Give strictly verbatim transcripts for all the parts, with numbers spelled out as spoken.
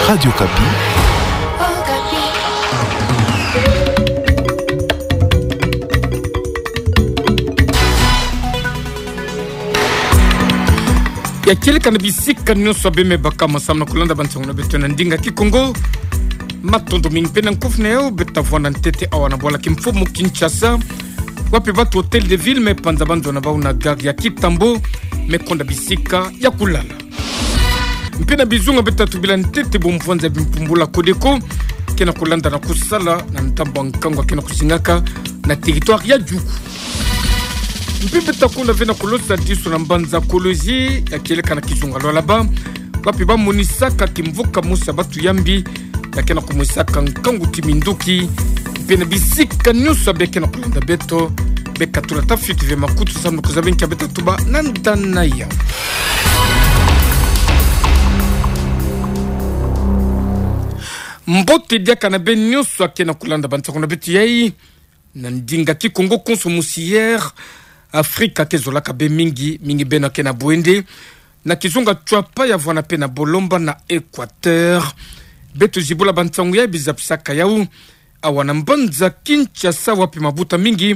Radio Okapi. Ya kieleka na bisika nyonso bê me baka ma samu na kulanda bansangu na beto na ndinga Kikongo. Matondo mingi mpe na nkofu na yau. Bê ta vwanda ntete awa na bwala kimfumu Kinshasa, wapi batu Hôtel de Ville me panza banzona bau na gare ya Kintambo, me konda bisika ya kulala. Mpe na bizunga bê ta tubila ntete bumvwanza bimpumbula Codeco ke na kulanda na kusala na ndambu ya nkangu ke na kusingaka na territoire ya Djugu. Mpe bê ta konda ve na kulosa diso na mbanza Kolwezi, ya kieleka na kizunga Lualaba, wapi ba monisaka kimvuka mosi ya batu ya mbi ya ke na kumwisaka nkangu ti minduki. Mpe na bisika nyonso bê ke na kulanda beto, bê katula tafiti ve makutu samu na kuzaba nki bê ta tuba na ndana yau. Mbote diaka na bê nyonso ke na kulanda bansangu na beto yai. Na ndinga Kikongo, Konso Mosière Afrika ke zolaka bê mingi, mingi beno ke na bwende na kizunga Tshuapa ya vwanda mpe na Bolomba na Équateur. Bê tozibula bansangu ya bizapisaka yau awa na mbanza Kinshasa, wapi mabuta mingi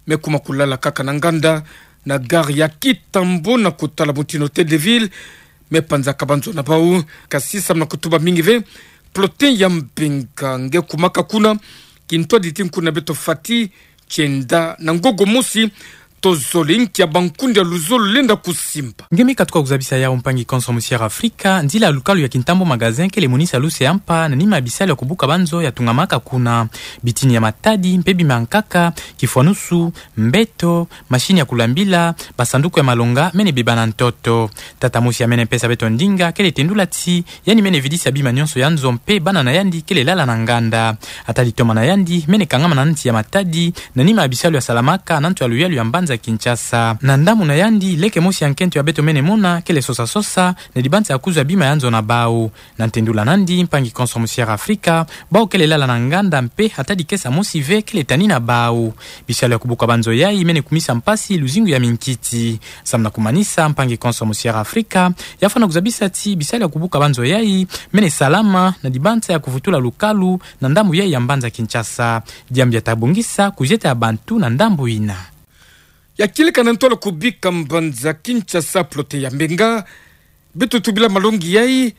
me kuma kulala kaka na nganda na gare ya Kintambo na kutala mutindu Hôtel de Ville me panzaka banzona bau. Kasi samu na kutuba mingi ve, Plotin ya Mbenga nge kumaka kuna, kintwadi ti nkuna beto Fati Tienda na Ngogo Mosi. Tozole nki ya bankundi ya luzolo lenda kusimba. Nge me katuka kuzabisa yau, mpangi Konso Mosière Afrika, nzila ya lukalu ya Kintambo Magasin kele monisa luse ya mpa na nima ya bisalu ya kubuka banzo ya tungamaka kuna. Bitini ya matadi mpe bima ya nkaka, kifwanusu, mbeto, machine ya kulambila, basanduku ya malonga mene beba na ntoto. Tata mosi ya mene pesa beto ndinga kele tendula ti yandi mene vidisa bima nyonso ya nzo mpe bana na yandi kele lala na nganda. Ata litoma na yandi mene kangama na nti ya matadi, na nima ya bisalu ya salamaka na nto ya luyalu ya mbanza Kinshasa. Na ndambu na yandi, leke mosi ya nkento ya beto mene mona kele sosa-sosa na dibanza ya kuzwa bima ya nzo na bau. Na ntendula nandi, mpangi Konso Mosière Afrika, bau kele lala na nganda mpe ata dikesa mosi ve kele tani na bau. Bisalu ya kubuka banzo yai mene kumisa mpasi luzingu ya minkiti. Samu na kumanisa, mpangi Konso Mosière Afrika ya fwana kuzabisa ti bisalu ya kubuka banzo yai mene salama na dibanza ya kuvutula lukalu na ndambu yai ya mbanza Kinshasa. Diambu ya ta bongisa kuzieta ya bantu na ndambu yina. Ya kieleka na ntwala kubika mbanza Kinshasa, Plotin ya Mbenga, bê totubila malongi yai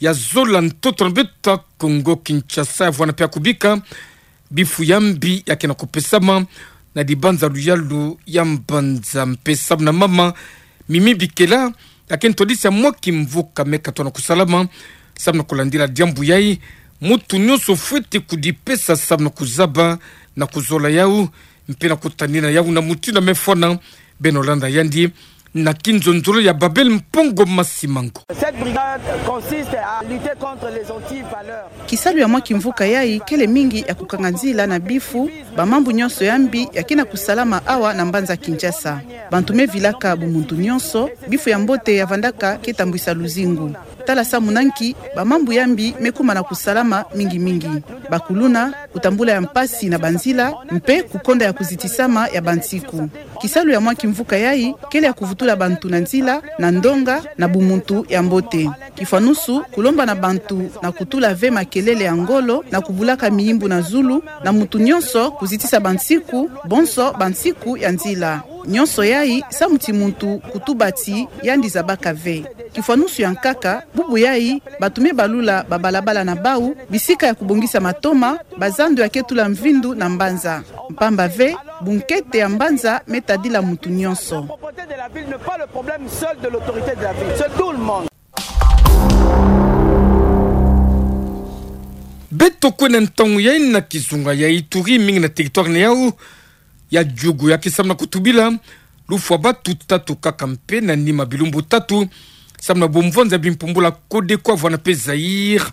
ya zola ntoto na beto Kongo Kinshasa, ya vwanda mpe ya kubika bifu ya mbi ya ke na kupesama na dibanza luyalu ya mbanza. Mpe samu na mama Mimi Bikela, ya ke ntwadisi ya mwa kimvuka me katona kusalama samu na kulandila diambu yai, mutu nyonso fwete kudipesa samu na kuzaba na kuzola yau mpe na kutanina yau na mutindu me fwana. Beno landa yandi na kinzonzolo ya Babel Mpongo Masimango. Cette brigade consiste à lutter contre les anti-valeurs. Kisalu ya mwa kimvuka yai kele mingi ya kukanga nzila na bifu, bamambu nyonso ya mbi ya ke na kusalama awa na mbanza Kinshasa. Bantu me vilaka bumuntu nyonso, bifu ya mbote ya vandaka ke tambwisa luzingu. Tala samu na nki bamambu ya mbi me kuma na kusalama mingi-mingi: bakuluna, kutambula ya mpasi na banzila, mpe kukonda ya kuzitisama ya bansiku. Kisalu ya mwa kimvuka yai kele ya kuvutula bantu na nzila na ndonga na bumuntu ya mbote. Kifwanusu, kulomba na bantu na kutula ve makelele ya ngolo na kubulaka miyimbu na zulu, na mutu nyonso kuzitisa bansiku, bonso bansiku ya nzila. Nyonso yai samu ti muntu kutuba ti yandi zabaka ve. Kifwanusu ya nkaka, bubu yai, bantu me balula babalabala na bau, bisika ya kubongisa matoma, bazando ya ke tula mvindu na mbanza. Mpamba ve, bunkete ya mbanza me tadila mutu nyonso. La propreté de la ville n'est pas le problème seul de l'autorité de la ville, c'est tout le monde. Beto kwenda ntangu yai na kizunga ya Ituri, mingi na territoire na yau ya Djugu, ya ke samu na kutubila lufwa batu tatu kaka mpe na nima bilumbu tatu, samu na bumvwanza bimpumbula Codeco, Havana mpe Zaïre,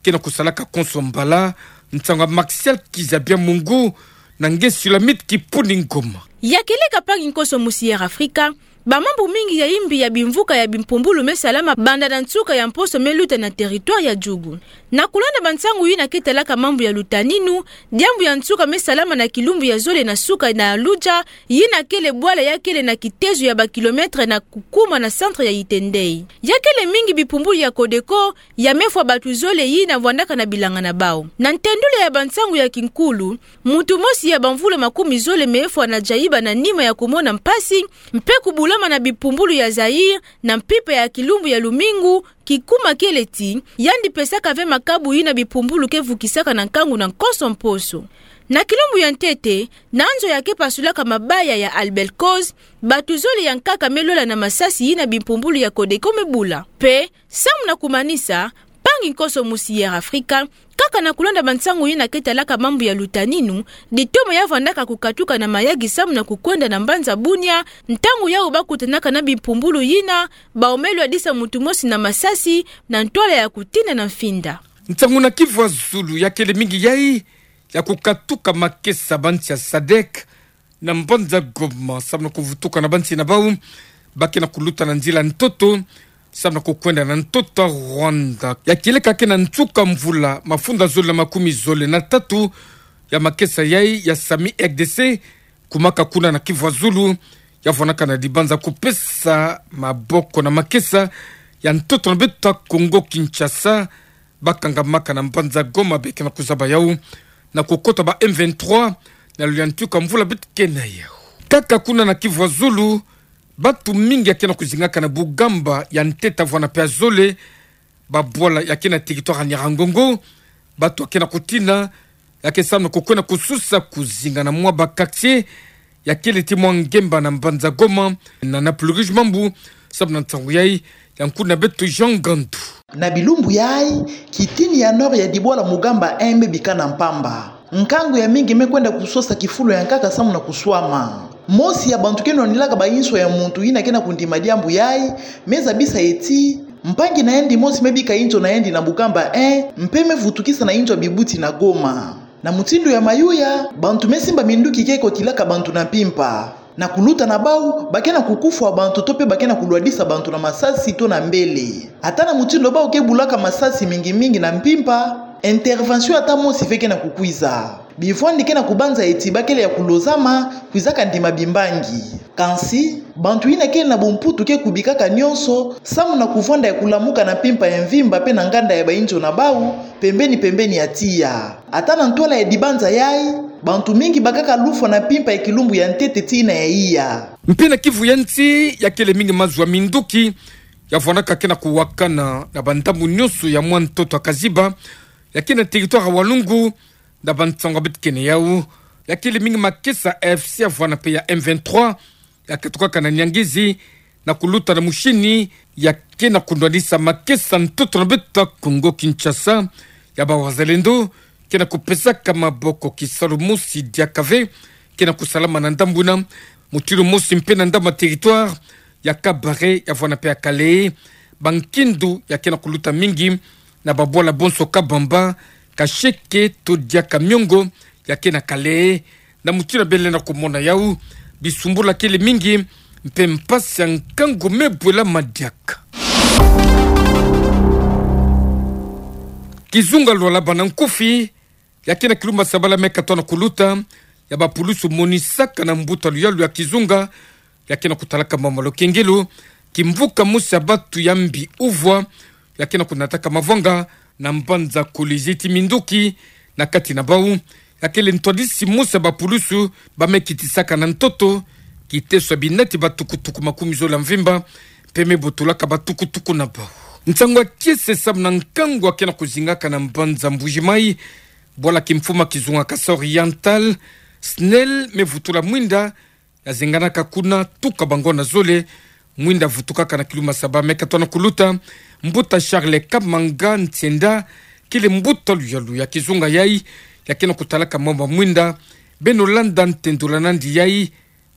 ke na kusalaka konso mbala. Nsangu ya Martial Kizabia Mungu na nge Sulamite Kipuni Ngoma. Ya kieleka, mpangi Konso Mosière Afrika, Bamambu mingi ya imbi ya bimvuka ya bimpumbulu me salama banda na nsuka ya mposo me luta na territoire ya Djugu. Na kulanda bansangu yina ke talaka mambu ya lutaninu, diambu ya nsuka me salama na kilumbu ya zole na suka na Luja, yina kele bwala ya kele na kitezo ya ba kilomètre na kukuma na centre ya Iten-Ndei. Ya kele mingi bimpumbulu ya Codeco, ya me fwa bantu zole yina vwandaka na bilanga na bau. Na ntendula ya bansangu ya kinkulu, muntu mosi ya bamvula makumi zole me fwa na Djaïba na nima ya kumona mpasi, mpe kubulama na bimpumbulu ya Zaïre, na mpimpa ya kilumbu ya lumingu, kikuma kele ti, yandi pesaka ve makabu yina bimpumbulu ke vukisaka na nkangu na nkoso mposo. Na kilumbu ya ntete, na nzo ya ke pasulaka mabaya ya Albelcoz, bantu zole ya nkaka me lola na masasi yina bimpumbulu ya Codeco me bula. Mpe, samu na kumanisa, mpangi nkoso mosi ya Air Africa, kaka na kulanda bansangu yina ke talaka mambu ya lutaninu, ditomo ya vwandaka kukatuka na mayaki samu na kukwenda na mbanza Bunia, ntangu yau ba kutanaka na bimpumbulu yina, bau me lwadisa muntu mosi na masasi, na ntwala ya kutina na mfinda. Nsangu na kivu ya zulu ya kele mingi yai, ya kukatuka makesa ba nsi ya sadec, na mbanza Goma, samu na kuvutuka na ba nsi na bau, ba ke na kuluta na nzila ntoto, samu na kukwenda na ntoto ya Rwanda. Ya kieleka ke na nsuka mvula, mafunda zole na makumi zole na tatu, ya makesa yai, ya sami R D C, kumaka kuna na kivu ya zulu, ya vwanaka na dibanza kupesa maboko na makesa, ya ntoto na beto ya Congo Kinshasa, ba kangamaka na mbanza Goma ba ke na kuzaba yau, na kukota ba M vingt-trois, na luyantika mvula beto ke na yau. Kaka kuna na kivu ya zulu, bantu mingi ya ke na kuzingaka na Bugamba ya ntete vwana mpe ya zole, babwala ya ke na territoire ya Nyiragongo, bantu ya ke na kutina, ya ke samu na kukwenda kususa kuzinga na mwa ba quartier, ya kele ti mwa ngemba na mbanza Goma, na na pulurige mambu, samu na nsangu yai, ya nkuna beto Jean Gandu. Na bilumbu yai, kitini ya nord ya dibwala Mugamba un me bika na mpamba. Nkangu ya mingi me kwenda kusosa kifulu ya nkaka samu na kuswama. Mosi ya bantu ke nwanilaka ba inzo ya muntu yina ke na kundima diambu yai, me zabisa ye ti, mpangi na yandi mosi me bika inzo na yandi na Mugamba un, mpe me vutukisa na inzo ya bibuti na Goma. Na mutindu ya mayuya, bantu me simba minduki ke kotilaka bantu na mpimpa. Na kuluta na bau, ba ke na kukufwa bantu to mpe ba ke na kulwadisa bantu na masasi to na mbele. Ata na mutindu bau ke bulaka masasi mingi mingi na mpimpa, intervention ata mosi ve ke na kukwiza. Bivwandi ke na kubanza ye ti ba kele ya kulozama, kwizaka ndima bimbangi. Kansi, bantu yina kele na bumputu ke kubikaka nyonso, samu na kuvwanda ya kulamuka na mpimpa ya mvimba mpe na nganda ya ba inzo na bau, pembeni pembeni ya tiya. Ata na ntwala ya dibanza yai, bantu mingi bakaka lufwa na mpimpa ya kilumbu ya ntete tii na ya iya. Mpe na kivu ya nsi, ya kele mingi mazu ya minduki, ya vwanaka ke na kuwakana na bandambu nyonso ya mwa ntoto ya Kaziba, ya ke na territoire ya Walungu, na bansangu beto ke na yau, ya kele mingi makesa A F C ya vwana mpe ya M vingt-trois, ya katukaka na Niangezi, na kuluta na Mushini, ya ke na kunwanisa makesa ntoto na beto ya Congo Kinshasa, ya ba wazalendo, ke na kupesaka maboko kisalu mosi diaka ve, ke na kusalama na ndambu yina, mutindu mosi mpe na ndambu ya territoire, ya Kabare, ya vwana mpe ya Kalehe, bankindu, ya ke na kuluta mingi, na babwala bonso Kabamba, Kasheke, to diaka Miongo, ya ke na Kalehe, na mutindu bele na kumona yau, bisumbula kele mingi, mpe mpasi ya nkangu me bwela madiaka. Kizunga Lualaba na nkufi, ya ke na kilumbu ya sabala me katona kuluta, ya bapulusu monisaka na mbuta luyalu ya kizunga, ya ke na kutalaka mama lukengelo, kimvuka mosi ya bantu ya mbi uvwa, ya ke na kunataka mavanga, na mbanza Kolwezi ti minduki, na kati na bau, ya kele ntwadisi mosi ya bapulusu, ba me kitisaka na ntoto, kiteso ya binati ba tukutuku makumi zole ya mvimba, mpe me botolaka ba tukutuku na bau. Nsangu ya kiese samu na nkangu ya ke na kuzingaka na mbanza Mbuji-Mayi, bwala kimfuma kizunga Kasaï Oriental, SNEL me vutula mwinda, ya zenganaka kuna tuka bangonda zole, mwinda vutukaka na kilumbu ya saba me katona kuluta, mbuta Charles Kamanga Ntienda, kele mbuta luyalu ya kizunga yai, ya ke na kutalaka mama mwinda, beno landa ntendula nandi yai,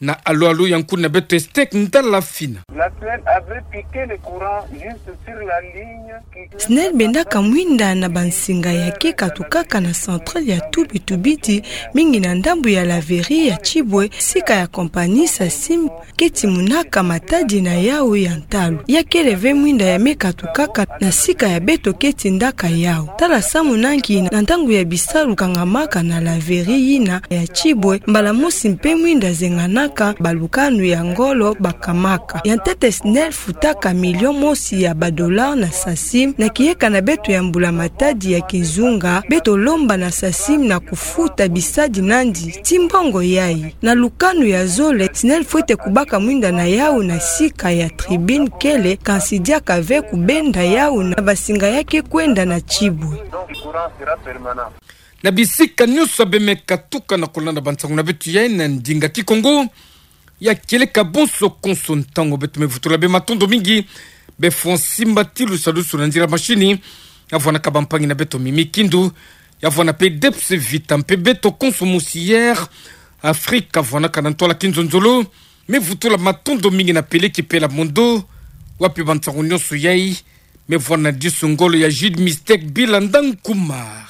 Na alo alo ya nkuna beto Estek Ndala Fina. La SNEL avait piqué le courant juste sur la ligne qui... SNEL bendaka mwinda na bansinga ya ke katukaka na centrale ya Tubi Tubidi, mingi na ndambu ya laverie ya Tibwe, sika ya compagnie Sasim keti monaka matadi na yawu ya ntalu. Ya kele ve mwinda ya me katukaka na sika ya beto keti ndaka yawu. Tala samu na nki na ntangu ya bisalu kangamaka na laverie yina ya Tibwe, mbala mosi mpe mwinda zenganaka, balukanu ya ngolo bakamaka. Ya ntete SNEL futaka million mosi ya ba dollars na Sasim, na kiyeka na beto ya mbula matadi ya kizunga, beto lomba na Sasim na kufuta bisadi nandi ti mbongo yayi. Na lukanu ya zole, SNEL fwete kubaka mwinda na yawu na sika ya tribune kele, kansi diaka ve kubenda yawu na bansinga ya ke kwenda na Tibwe. Na bisika nyonso bê me katuka na kolanda bansangu na beto yayi na ndinga Kikongo. Ya kieleka bonso konso ntangu beto me vutula bê, matondo mingi. Bê Fonsi Mbatilu salusu na nzila mashini. Ya vwanaka bampangi na beto Mimi Kindu. Ya vwana mpe Debs Vita mpe beto konso mosi Air Afrique ya vwanaka na ntwala kinzonzolo. Me vutula matondo mingi na Peleki Pela Mondo, wapi bansangu nyonso yayi me vwana disu ngolo ya Jude Mistake Bilanda Nkumar.